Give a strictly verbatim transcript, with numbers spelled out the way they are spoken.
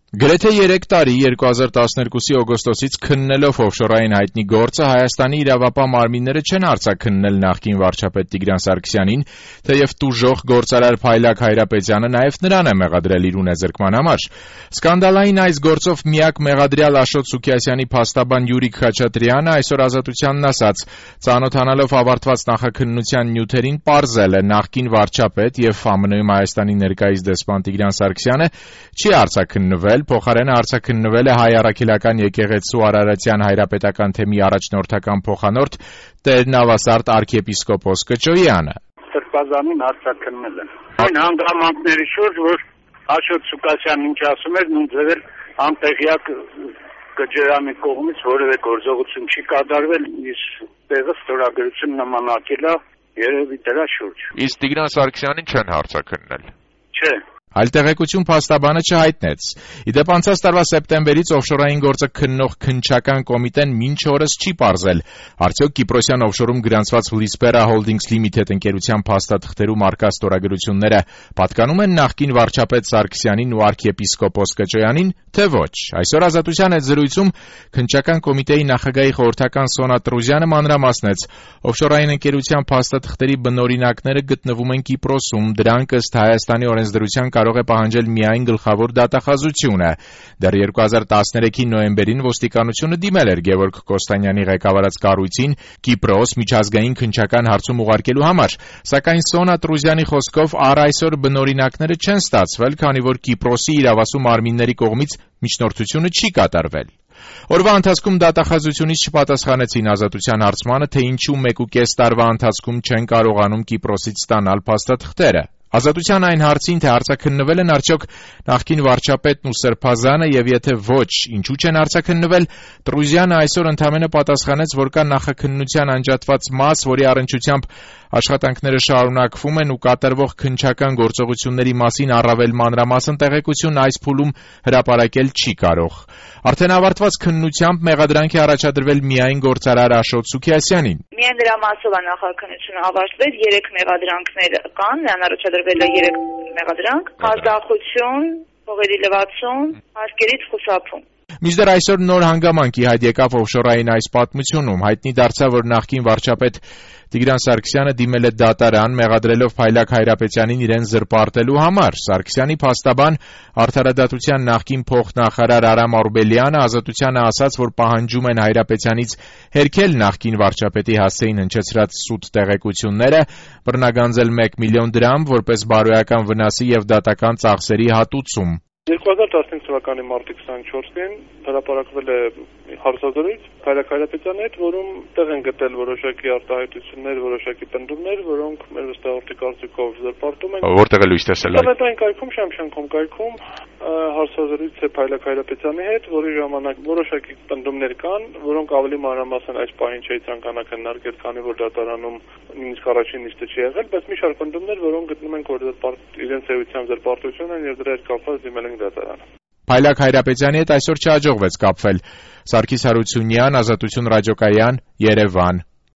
Գրեթե երեք տարի երկու հազար տասներկուսի օգոստոսից քննելով օֆշորային հայտնի գործը Հայաստանի իրավապահ մարմինները չեն արձագաննել նախկին վարչապետ Տիգրան Սարգսյանին, թեև տուժող գործարար Փայլակ Հայրապետյանը նաև նրան է մեղադրել իր ունեզրկման համար։ Սկանդալային այս գործով միակ մեղադրյալ Աշոտ Սուքիասյանի փաստաբան Յուրիկ Խաչատրյանը այսօր Ազատությանն ասաց. ծանոթանալով ավարտված նախաքննության նյութերին պարզել է նախկին վարչապետ եւ ԱՄՆ-ում Հայաստանի ներկայիս դեսպան Տիգրան Սարգսյանը չի արձագանվել, փոխարենը արձագանվել է Հայ առաքելական եկեղեցու Արարատյան հայրապետական թեմի առաջնորդական փոխանորդ Տեր Նավասարդ arczepiskopos Կճոյանը։ Սրբազանին արձագանվել են։ Այն հանգամանքների շուրջ, որ Աշոտ Սուքիասյանն ինչ ասում էր, նույն ձևեր անտեղյակ Կճոյանի կողմից որևէ գործողություն չի կատարվել, իսկ տեղը ստորագրություն նմանակել է երևի դրա շուրջ։ Իսկ Տիգրան Սարգսյանին չեն արձագաննել։ Չէ։ Այլ տեղեկություն փաստաբանը չհայտնեց։ Իդեպ անցած տարվա սեպտեմբերից օֆշորային գործը քննող քննչական կոմիտեն մինչ օրս չի պարզել, արդյոք Կիպրոսյան օֆշորում գրանցված Lispera Holdings Limited ընկերության փաստաթղթերում առկա ստորագրությունները պատկանում են նախկին վարչապետ Սարգսյանին ու arczepiskopos Կճոյանին, թե ոչ։ Այսօր Ազատության հետ զրույցում քննչական կոմիտեի նախագահի խորհրդական Սոնա Տրուզյանը մանրամասնեց. օֆշորային ընկերության փաստաթղթերի բնօրինակները գտնվում են Կիպրոսում, դրանք ըստ Հայաստանի օրենսդրության կարող է պահանջել միայն գլխավոր դատախազությունը։ Դեռ երկու հազար տասներեքի նոյեմբերին ոստիկանությունը դիմել էր Գևորգ Կոստանյանի ղեկավարած կառույցին Կիպրոս միջազգային քննչական հարցում ուղարկելու համար, սակայն Սոնա Տրուզյանի խոսքով առ այսօր բնօրինակները չեն ստացվել, քանի որ Կիպրոսի իրավասու մարմինների կողմից միջնորդությունը չի կատարվել։ Օրվա ընթացքում դատախազությունից չպատասխանեցին Ազատության հարցմանը, թե ինչու մեկուկես տարվա ընթացքում չեն կարողանում Կիպրոսից ստանալ փաստաթղթերը։ Ազատության այն հարցին, թե արձագանվել են արդյոք նախկին վարչապետն ու Սրբազանը եւ եթե ոչ, ինչու չեն արձագանվել, Տրուզյանը այսօր ընդամենը պատասխանեց, որ կա նախաքննության անջատված մաս, որի առնչությամբ աշխատանքները շարունակվում են ու կատարվող քննչական գործողությունների մասին առավել մանրամասն տեղեկություն այս փուլում հրապարակել չի կարող։ Արդեն ավարտված քննությամբ մեղադրանք է առաջադրվել միայն գործարար Աշոտ Սուքիասյանին։ Միայն դրա մասով է նախաքննությունը ավարտվել, երեք մեղադրանքներ կան, նրան առաջադրվել է երեք մեղադրանք, ազդախություն, փողերի լվացում, հարկերից խուսափում։ Մինչդեռ այսօր նոր հանգամանքի հայտ եկավ օֆշորային այս պատմությունում, հայտնի դարձավ, որ նախկին վարչապետ Տիգրան Սարգսյանը դիմել է դատարան, մեղադրելով Փայլակ Հայրապետյանին իրեն զրպարտելու համար։ Սարգսյանի փաստաբան Արդարադատության նախկին փոխնախարար Արամ Արբելյանը Ազատությանը ասաց, որ պահանջում են Հայրապետյանից հերքել նախկին վարչապետի հասցեին հնչեցրած սուտ տեղեկությունները, բռնագանձել մեկ միլիոն դրամ որպես բարոյական վնասի եւ դատական ծախսերի հատուցում։ երկու հազար տասնհինգ թվականի մարտի քսաներկուսին հրապարակվել է հարցազրույց Փայլակ Հայրապետյանի հետ, որում տեղ են գտել որոշակի արտահայտություններ, որոշակի պնդումներ, որոնք մեր վստահորդի կարծիքով զրպարտում են։ Որտեղ է լույս տեսել այդ։ Այդ կայքում Շամշանքում կայքում հարցազրույց է Փայլակ Հայրապետյանի հետ, որի ժամանակ որոշակի պնդումներ կան, որոնք ավելի մանրամասն այս պահին չի ցանկանա քննարկել, քանի որ դատարանում նույնիսկ առաջին նիստը չի եղել, բայց մի շարք պնդումներ, որոնք գտնում ենք, որ իրենց էությամբ զրպարտություն են եւ դրա հետ կապված դիմել են դատարան։ Փայլակ Հայրապետյանի հետ այսօր չհաջողվեց կապվել։ Սարգիս Հարությունյան, Ազատություն ռադիոկայան, Երևան։